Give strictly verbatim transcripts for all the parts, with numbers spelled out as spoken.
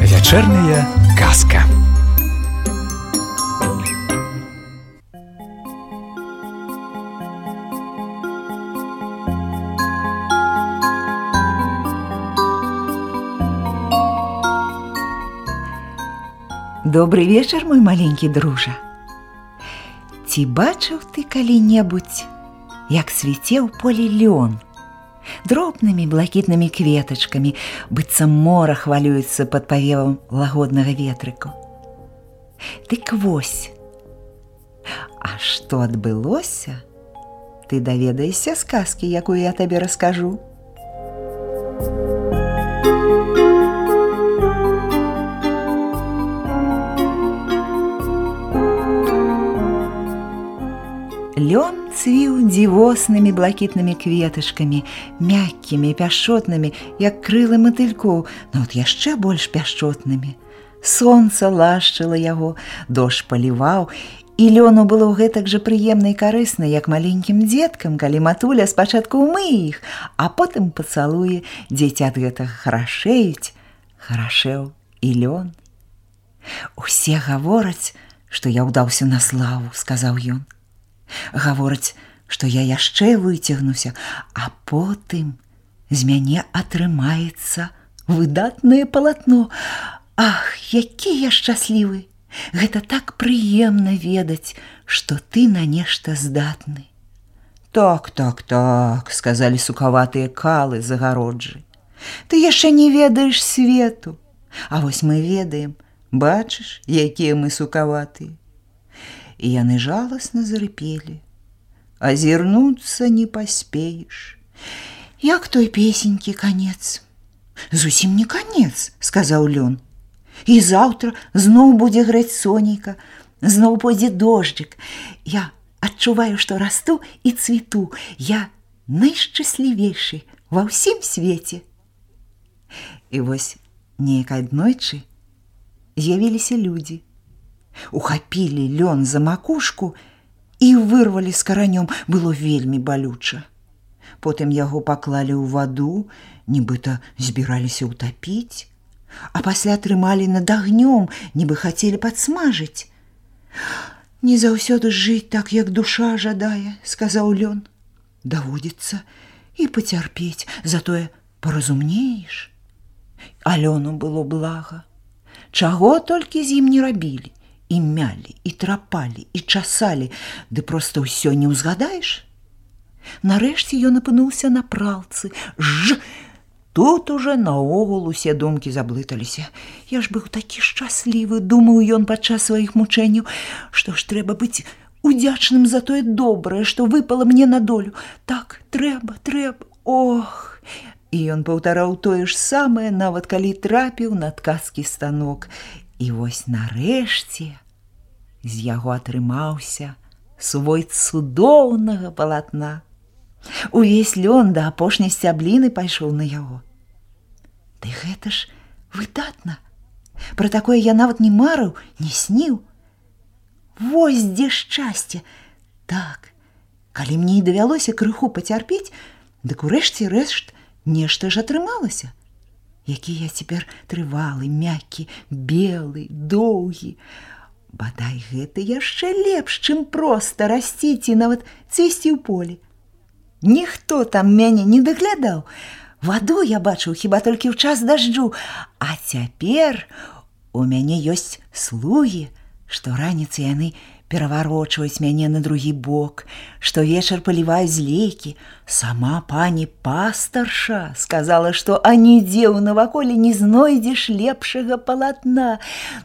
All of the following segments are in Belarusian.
Вечерняя казка. Добрый вечер, мой маленький дружа. Ці бачыў ты калі-небудзь, як цвіце ў полі лён? Дробнымі блакітнымі кветачкамі, быццам мора хвалюецца пад павевам лагоднага ветрыку. Дык вось, а што адбылося, ты даведаешся з казкі, якую я табе раскажу. Лён цвіў дзівоснымі блакітнымі кветачкамі, мяккімі, пяшчотнымі, як крылы матылькоў, но от яшчэ больш пяшчотнымі. Сонца лашчыла яго, дождж паліваў, і лёну было гэтак жа прыемна і карысна, як маленькім дзеткам, калі матуля спачатку ўмые іх, а потым пацалуе, дзеці ад гэтага харашэюць, харашэў і лён. Усе гавораць, што я ўдаўся на славу, сказаў ён. Гавораць, што я яшчэ выцягнуся, а потым з мяне атрымаецца выдатнае палатно. Ах, які я шчаслівы! Гэта так прыемна ведаць, што ты на нешта здатны. Так, так, так, сказалі сукаватыя калы з агароджы. Ты яшчэ не ведаеш свету. А вось мы ведаем, бачыш, якія мы сукаватыя. І яны жаласна зарыпелі. Азірнуцца не паспееш. Як той песенькі канец. Зусім не канец, сказаў лён. І заўтра зноў будзе грэць сонейка, зноў пойдзе дожджык. Я адчуваю, што расту і цвіту. Я найшчаслівейшы ва ўсім свеце. І вось неяк аднойчы з'явіліся людзі. Ухапілі лён за макушку і вырвалі з каранём. Было вельмі балюча. Потым яго паклалі ў ваду, нібыта збіраліся ўтапіць, а пасля трымалі над агнём, нібы хацелі падсмажыць. Не заўсёды жыць так, як душа жадае, сказаў лён. Даводзіцца і пацярпець, затое паразумнееш. А лёну было блага. Чаго толькі з ім не рабілі. І мялі, і трапалі, і часалі, ды проста ўсё не ўзгадаеш. Нарэшце ён апынуўся на пралцы. Ж! Тут уже наогул усе думкі заблыталіся. Я ж быў такі шчаслівы, думаў ён падчас сваіх мучэнняў, што ж трэба быць удзячным за тое добрае, што выпала мне на долю. Так, трэба, трэба, ох! І ён паўтараў тое ж самае, нават калі трапіў на ткацкі станок. І вось нарэшце з яго атрымаўся свой цудоўнага палатна. Увесь лён да апошняй сцябліны пайшоў на яго. Ды гэта ж выдатна. Пра такое я нават не марыў, не сніў. Вось дзе шчасце. Так, калі мне і давялося крыху пацярпець, дык урэшце рэшт нешта ж атрымалася. Які я цяпер трывалы, мяккі, белы, доўгі. Бадай, гэта яшчэ лепш, чым проста расціць і нават цвісці ў полі. Ніхто там мяне не даглядаў. Ваду я бачыў хіба толькі ў час дажджу, а цяпер у мяне ёсць слугі, што раніцай яны пераварочваюць мяне на другі бок, што вечар паліваюць злейкі. Сама пані пастарша сказала, што анідзе ў наваколе не знойдзеш лепшага палатна.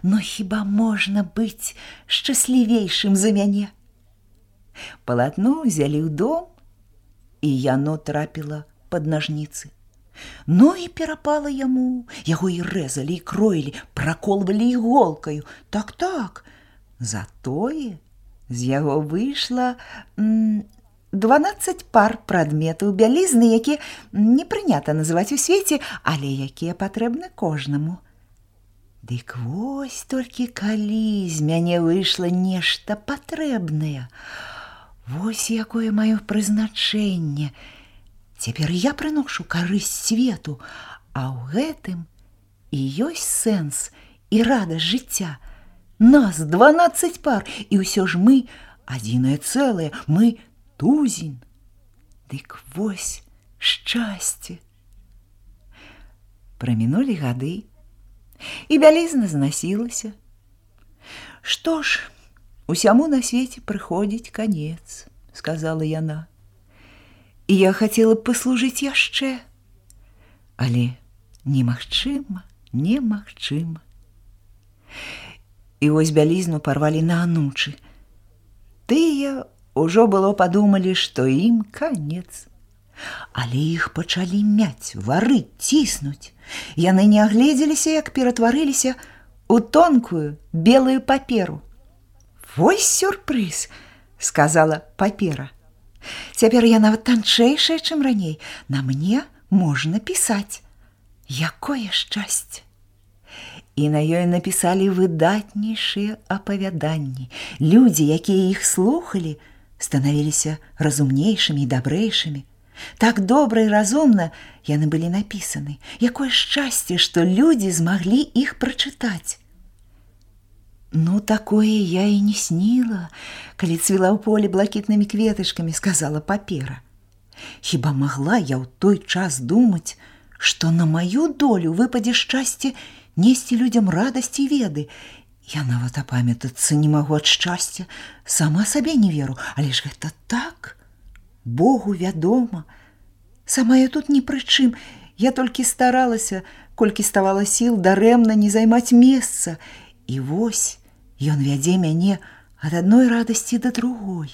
Но хіба можна быць шчаслівейшым за мяне? Палатно ўзялі ў дом, і яно трапіла пад нажніцы. Ну і перапала яму. Яго і рэзалі, і кроілі, праколвалі іголкаю. Так-так. Затое з яго выйшла м, дванаццаць пар прадметаў бялізны, якія не прынята называць у свеце, але якія патрэбны кожнаму. Дык вось толькі калі з мяне выйшла нешта патрэбнае. Вось якое маё прызначэнне. Цяпер я прыношу карысць свету, а ў гэтым і ёсць сэнс і радасць жыцця. Нас дванаццаць пар, і ўсё ж мы адзінае цэлае, мы тузін. Дык вось шчасце. Прамінулі гады, і бялізна знасілася. Што ж, усяму на свеце прыходзіць канец, сказала яна. І я хацела б паслужыць яшчэ, але немагчыма, немагчыма. І вось бялізну парвалі на анучы. Тыя ўжо было падумалі, што ім канец. Але іх пачалі мяць, варыць, ціснуць. Яны не агледзеліся, як ператварыліся ў тонкую белую паперу. «Вось сюрпрыз», – сказала папера. «Цяпер я нават танчэйшая, чым раней. На мне можна пісаць. Якое шчасце!» І на ёй напісалі выдатнейшыя апавяданні. Людзі, якія іх слухалі, станавіліся разумнейшымі і дабрэйшымі. Так добра і разумна яны былі напісаны. Якое шчасце, што людзі змаглі іх прачытаць. «Ну, такое я і не сніла, калі цвіла ў полі блакітнымі кветачкамі», – сказала папера. «Хіба магла я ў той час думаць, што на маю долю выпадзе шчасце несці людзям радасць і веды? Я нават апамятацца не магу ад шчасця, сама сабе не веру, але ж гэта так. Богу вядома. Сама я тут ні пры чым. Я толькі старалася, колькі ставала сіл, дарэмна не займаць месца. І вось ён вядзе мяне ад адной радасці да другой.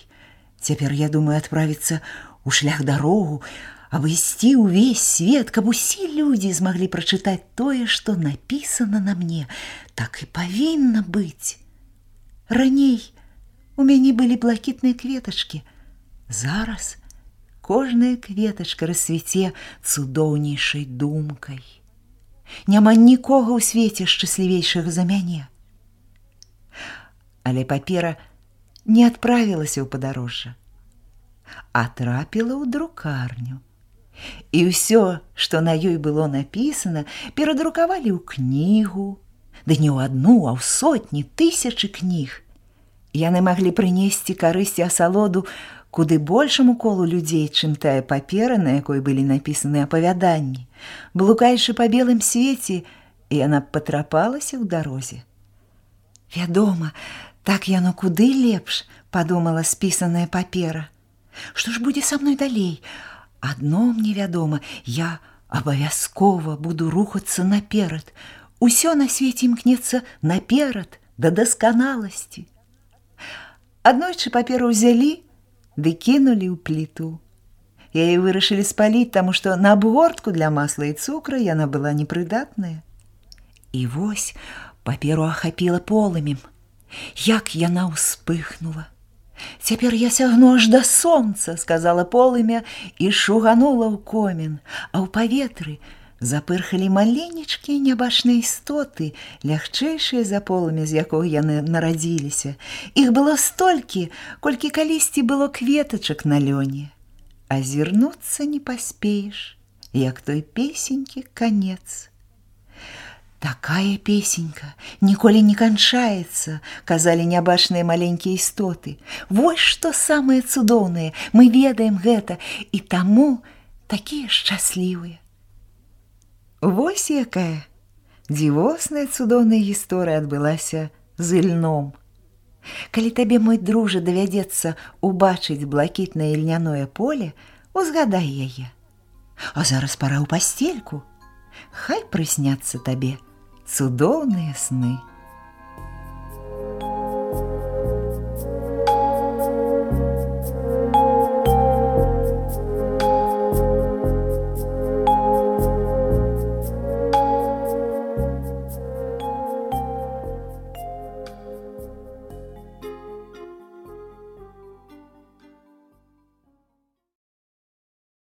Цяпер я думаю адправіцца ў шлях дарогу, абысці ўвесь свет, каб усе людзі змаглі прачытаць тое, што напісана на мне. Так і павінна быць. Раней у мяне былі блакітныя кветачкі. Зараз кожная кветачка расцвіце цудоўнейшай думкай. Няма нікога ў свеце шчаслівейшага за мяне. Але папера не адправілася ў падарожжа, а трапіла ў друкарню. І ўсё, што на ёй было напісана, перадрукавалі ў кнігу, ды не ў адну, а ў сотні, тысячы кніг. Яны маглі прынесці карысць і асалоду куды большаму колу людзей, чым тая папера, на якой былі напісаны апавяданні. Блукаючы па белым свеце, яна патрапалася ў дарозе. «Вядома, так яно куды лепш», – падумала спісаная папера. «Што ж будзе са мной далей? Адно мне вядома, я абавязкова буду рухацца наперад. Усё на свеце імкнецца наперад, да дасканаласці». Аднойчы паперу ўзялі ды кінулі ў пліту. Яе вырашылі спаліць, таму што на абгортку для масла і цукра яна была непрыдатная. І вось паперу ахапіла полымем. Як яна ўспыхнула! «Цяпер я сягну аж да сонца», – сказала полымя і шуганула ў комін, а ў паветры запырхалі маленечкія нябачныя істоты, лягчэйшыя за полымя, з якога яны нарадзіліся. Іх было столькі, колькі калісьці было кветачак на лёне. Азірнуцца не паспееш, як той песенькі канец. «Такая песенька ніколі не канчаецца», – казалі нябачныя маленькія істоты. «Вось што самае цудоўнае, мы ведаем гэта, і таму такія шчаслівыя». Вось якая дзівосная цудоўная гісторыя адбылася з ільном. Калі табе, мой дружа, давядзецца убачыць блакітнае ільняное поле, узгадай яе. А зараз пара ў пасцельку. Хай прысняцца табе цудоўныя сны.